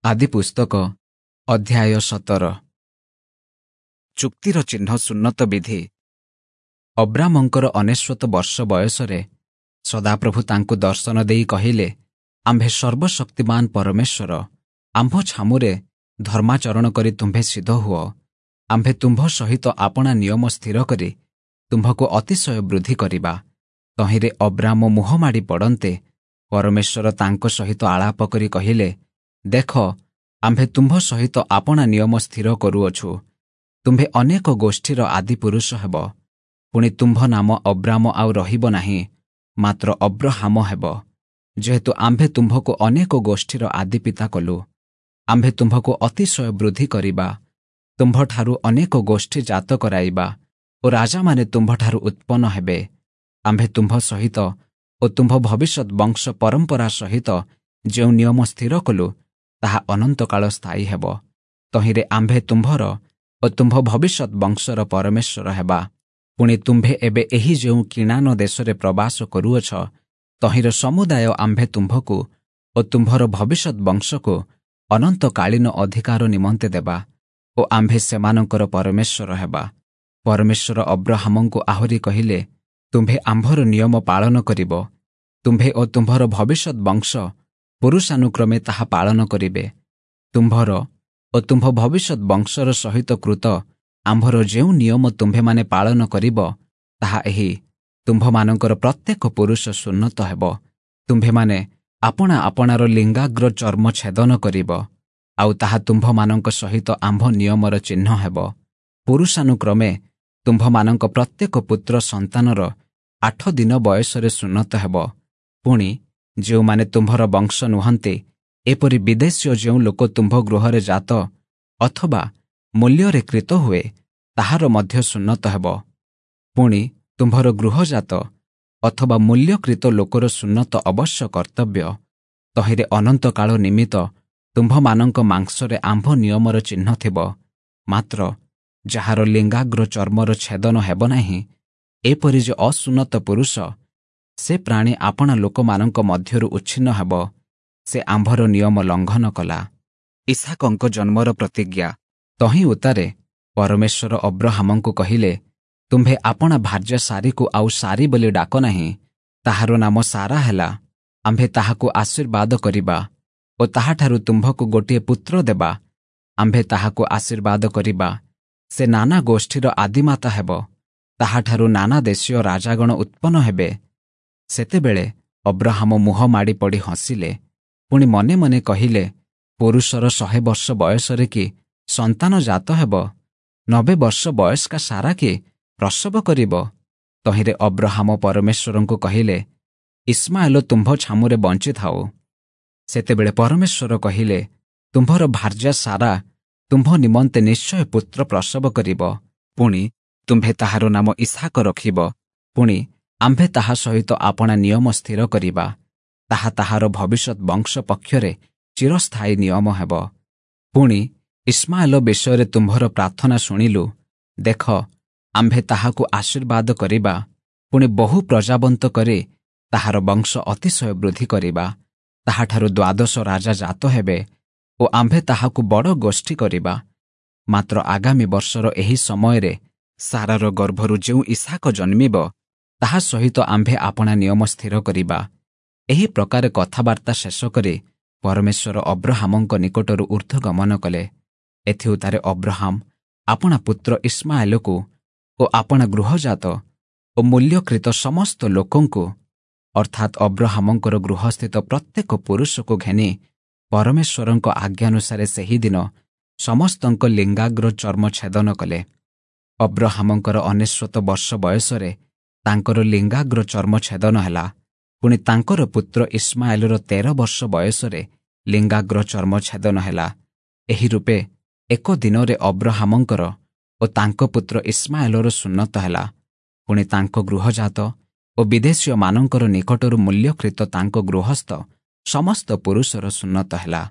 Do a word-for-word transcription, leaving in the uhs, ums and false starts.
ଆଦିପୁସ୍ତକ ଅଧ୍ୟାୟ ସତର ଚୁକ୍ତିର ଚିହ୍ନ ସୁନ୍ନତ ବିଧି ଅବ୍ରାମଙ୍କର ଅନେଶ୍ୱତ ବର୍ଷ ବୟସରେ ସଦାପ୍ରଭୁ ତାଙ୍କୁ ଦର୍ଶନ ଦେଇ କହିଲେ, ଆମ୍ଭେ ସର୍ବଶକ୍ତିମାନ ପରମେଶ୍ୱର, ଆମ୍ଭ ଛାମୁରେ ଧର୍ମାଚରଣ କରି ତୁମ୍ଭେ ସିଦ୍ଧ ହୁଅ। ଆମ୍ଭେ ତୁମ୍ଭ ସହିତ ଆପଣା ନିୟମ ସ୍ଥିର କରି ତୁମ୍ଭକୁ ଅତିଶୟ ବୃଦ୍ଧି କରିବା। ତହିଁରେ ଅବ୍ରାମ ମୁହଁ ମାଡ଼ି ପଡ଼ନ୍ତେ ପରମେଶ୍ୱର ତାଙ୍କ ସହିତ ଆଳାପ କରି କହିଲେ, ଦେଖ, ଆମ୍ଭେ ତୁମ୍ଭ ସହିତ ଆପଣା ନିୟମ ସ୍ଥିର କରୁଅଛୁ। ତୁମ୍ଭେ ଅନେକ ଗୋଷ୍ଠୀର ଆଦିପୁରୁଷ ହେବ। ପୁଣି ତୁମ୍ଭ ନାମ ଅବ୍ରାମ ଆଉ ରହିବ ନାହିଁ, ମାତ୍ର ଅବ୍ରହାମ ହେବ, ଯେହେତୁ ଆମ୍ଭେ ତୁମ୍ଭକୁ ଅନେକ ଗୋଷ୍ଠୀର ଆଦିପିତା କଲୁ। ଆମ୍ଭେ ତୁମ୍ଭକୁ ଅତିଶୟ ବୃଦ୍ଧି କରିବା, ତୁମ୍ଭଠାରୁ ଅନେକ ଗୋଷ୍ଠୀ ଜାତ କରାଇବା ଓ ରାଜାମାନେ ତୁମ୍ଭଠାରୁ ଉତ୍ପନ୍ନ ହେବେ। ଆମ୍ଭେ ତୁମ୍ଭ ସହିତ ଓ ତୁମ୍ଭ ଭବିଷ୍ୟତ ବଂଶ ପରମ୍ପରା ସହିତ ଯେଉଁ ନିୟମ ସ୍ଥିର କଲୁ, ତାହା ଅନନ୍ତକାଳ ସ୍ଥାୟୀ ହେବ। ତହିଁରେ ଆମ୍ଭେ ତୁମ୍ଭର ଓ ତୁମ୍ଭ ଭବିଷ୍ୟତ ବଂଶର ପରମେଶ୍ୱର ହେବା। ପୁଣି ତୁମ୍ଭେ ଏବେ ଏହି ଯେଉଁ କିଣାନ ଦେଶରେ ପ୍ରବାସ କରୁଅଛ, ତହିଁର ସମୁଦାୟ ଆମ୍ଭେ ତୁମ୍ଭକୁ ଓ ତୁମ୍ଭର ଭବିଷ୍ୟତ ବଂଶକୁ ଅନନ୍ତକାଳୀନ ଅଧିକାର ନିମନ୍ତେ ଦେବା ଓ ଆମ୍ଭେ ସେମାନଙ୍କର ପରମେଶ୍ୱର ହେବା। ପରମେଶ୍ୱର ଅବ୍ରହାମଙ୍କୁ ଆହୁରି କହିଲେ, ତୁମ୍ଭେ ଆମ୍ଭର ନିୟମ ପାଳନ କରିବ, ତୁମ୍ଭେ ଓ ତୁମ୍ଭର ଭବିଷ୍ୟତ ବଂଶ ପୁରୁଷାନୁକ୍ରମେ ତାହା ପାଳନ କରିବେ। ତୁମ୍ଭର ଓ ତୁମ୍ଭ ଭବିଷ୍ୟତ ବଂଶର ସହିତ କୃତ ଆମ୍ଭର ଯେଉଁ ନିୟମ ତୁମ୍ଭେମାନେ ପାଳନ କରିବ, ତାହା ଏହି, ତୁମ୍ଭମାନଙ୍କର ପ୍ରତ୍ୟେକ ପୁରୁଷ ସୁନ୍ନତ ହେବ। ତୁମ୍ଭେମାନେ ଆପଣା ଆପଣାର ଲିଙ୍ଗାଗ୍ର ଚର୍ମ ଛେଦନ କରିବ, ଆଉ ତାହା ତୁମ୍ଭମାନଙ୍କ ସହିତ ଆମ୍ଭ ନିୟମର ଚିହ୍ନ ହେବ। ପୁରୁଷାନୁକ୍ରମେ ତୁମ୍ଭମାନଙ୍କ ପ୍ରତ୍ୟେକ ପୁତ୍ର ସନ୍ତାନର ଆଠ ଦିନ ବୟସରେ ସୁନ୍ନତ ହେବ। ପୁଣି ଯେଉଁମାନେ ତୁମ୍ଭର ବଂଶ ନୁହନ୍ତି, ଏପରି ବିଦେଶୀୟ ଯେଉଁ ଲୋକ ତୁମ୍ଭ ଗୃହରେ ଜାତ ଅଥବା ମୂଲ୍ୟରେ କ୍ରୀତ ହୁଏ, ତାହାର ମଧ୍ୟ ସୁନ୍ନତ ହେବ। ପୁଣି ତୁମ୍ଭର ଗୃହଜାତ ଅଥବା ମୂଲ୍ୟକ୍ରୀତ ଲୋକର ସୁନ୍ନତ ଅବଶ୍ୟ କର୍ତ୍ତବ୍ୟ। ତହିଁରେ ଅନନ୍ତକାଳ ନିମିତ୍ତ ତୁମ୍ଭମାନଙ୍କ ମାଂସରେ ଆମ୍ଭ ନିୟମର ଚିହ୍ନ ଥିବ। ମାତ୍ର ଯାହାର ଲିଙ୍ଗାଗ୍ର ଚର୍ମର ଛେଦନ ହେବ ନାହିଁ, ଏପରି ଯେ ଅସୁନ୍ନତ ପୁରୁଷ, ସେ ପ୍ରାଣୀ ଆପଣା ଲୋକମାନଙ୍କ ମଧ୍ୟରୁ ଉଚ୍ଛିନ୍ନ ହେବ, ସେ ଆମ୍ଭର ନିୟମ ଲଙ୍ଘନ କଲା। ଇସ୍ହାକଙ୍କ ଜନ୍ମର ପ୍ରତିଜ୍ଞା। ତହିଁ ଉତ୍ତାରେ ପରମେଶ୍ୱର ଅବ୍ରହାମଙ୍କୁ କହିଲେ, ତୁମ୍ଭେ ଆପଣା ଭାର୍ଯ୍ୟା ସାରୀକୁ ଆଉ ସାରୀ ବୋଲି ଡାକ ନାହିଁ, ତାହାର ନାମ ସାରା ହେଲା। ଆମ୍ଭେ ତାହାକୁ ଆଶୀର୍ବାଦ କରିବା ଓ ତାହାଠାରୁ ତୁମ୍ଭକୁ ଗୋଟିଏ ପୁତ୍ର ଦେବା। ଆମ୍ଭେ ତାହାକୁ ଆଶୀର୍ବାଦ କରିବା, ସେ ନାନା ଗୋଷ୍ଠୀର ଆଦିମାତା ହେବ, ତାହାଠାରୁ ନାନା ଦେଶୀୟ ରାଜାଗଣ ଉତ୍ପନ୍ନ ହେବେ। ସେତେବେଳେ ଅବ୍ରହାମ ମୁହଁ ମାଡ଼ି ପଡ଼ି ହସିଲେ, ପୁଣି ମନେ ମନେ କହିଲେ, ପୁରୁଷର ଶହେ ବର୍ଷ ବୟସରେ କି ସନ୍ତାନ ଜାତ ହେବ? ନବେ ବର୍ଷ ବୟସ୍କା ସାରା କି ପ୍ରସବ କରିବ? ତହିଁରେ ଅବ୍ରହାମ ପରମେଶ୍ୱରଙ୍କୁ କହିଲେ, ଇସ୍ମାଏଲ ତୁମ୍ଭ ଛାମୁରେ ବଞ୍ଚିଥାଉ। ସେତେବେଳେ ପରମେଶ୍ୱର କହିଲେ, ତୁମ୍ଭର ଭାର୍ଯ୍ୟା ସାରା ତୁମ୍ଭ ନିମନ୍ତେ ନିଶ୍ଚୟ ପୁତ୍ର ପ୍ରସବ କରିବ, ପୁଣି ତୁମ୍ଭେ ତାହାର ନାମ ଇସ୍ହାକ ରଖିବ। ପୁଣି ଆମ୍ଭେ ତାହା ସହିତ ଆପଣା ନିୟମ ସ୍ଥିର କରିବା, ତାହା ତାହାର ଭବିଷ୍ୟତ ବଂଶ ପକ୍ଷରେ ଚିରସ୍ଥାୟୀ ନିୟମ ହେବ। ପୁଣି ଇସ୍ମାଏଲ ବିଷୟରେ ତୁମ୍ଭର ପ୍ରାର୍ଥନା ଶୁଣିଲୁ, ଦେଖ, ଆମ୍ଭେ ତାହାକୁ ଆଶୀର୍ବାଦ କରିବା, ପୁଣି ବହୁ ପ୍ରଜାବନ୍ତ କରି ତାହାର ବଂଶ ଅତିଶୟ ବୃଦ୍ଧି କରିବା। ତାହାଠାରୁ ଦ୍ୱାଦଶ ରାଜା ଜାତ ହେବେ ଓ ଆମ୍ଭେ ତାହାକୁ ବଡ଼ ଗୋଷ୍ଠୀ କରିବା। ମାତ୍ର ଆଗାମୀ ବର୍ଷର ଏହି ସମୟରେ ସାରାର ଗର୍ଭରୁ ଯେଉଁ ଇସ୍ହାକ ଜନ୍ମିବ, ତାହା ସହିତ ଆମ୍ଭେ ଆପଣା ନିୟମ ସ୍ଥିର କରିବା। ଏହି ପ୍ରକାର କଥାବାର୍ତ୍ତା ଶେଷ କରି ପରମେଶ୍ୱର ଅବ୍ରହାମଙ୍କ ନିକଟରୁ ଊର୍ଦ୍ଧ୍ୱଗମନ କଲେ। ଏଥିଉତ୍ତାରେ ଅବ୍ରହାମ ଆପଣା ପୁତ୍ର ଇସ୍ମାଏଲକୁ ଓ ଆପଣା ଗୃହଜାତ ଓ ମୂଲ୍ୟକ୍ରୀତ ସମସ୍ତ ଲୋକଙ୍କୁ, ଅର୍ଥାତ୍ ଅବ୍ରହାମଙ୍କର ଗୃହସ୍ଥିତ ପ୍ରତ୍ୟେକ ପୁରୁଷକୁ ଘେନି ପରମେଶ୍ୱରଙ୍କ ଆଜ୍ଞାନୁସାରେ ସେହିଦିନ ସମସ୍ତଙ୍କ ଲିଙ୍ଗାଗ୍ର ଚର୍ମ ଛେଦନ କଲେ। ଅବ୍ରହାମଙ୍କର ଅନେଶ୍ୱତ ବର୍ଷ ବୟସରେ ତାଙ୍କର ଲିଙ୍ଗାଗ୍ର ଚର୍ମ ଛେଦନ ହେଲା। ପୁଣି ତାଙ୍କର ପୁତ୍ର ଇସ୍ମାଏଲର ତେର ବର୍ଷ ବୟସରେ ଲିଙ୍ଗାଗ୍ର ଚର୍ମ ଛେଦନ ହେଲା। ଏହି ରୂପେ ଏକ ଦିନରେ ଅବ୍ରହାମଙ୍କର ଓ ତାଙ୍କ ପୁତ୍ର ଇସ୍ମାଏଲର ସୁନ୍ନତ ହେଲା। ପୁଣି ତାଙ୍କ ଗୃହଜାତ ଓ ବିଦେଶୀୟମାନଙ୍କର ନିକଟରୁ ମୂଲ୍ୟକ୍ରୀତ ତାଙ୍କ ଗୃହସ୍ଥ ସମସ୍ତ ପୁରୁଷର ସୁନ୍ନତ ହେଲା।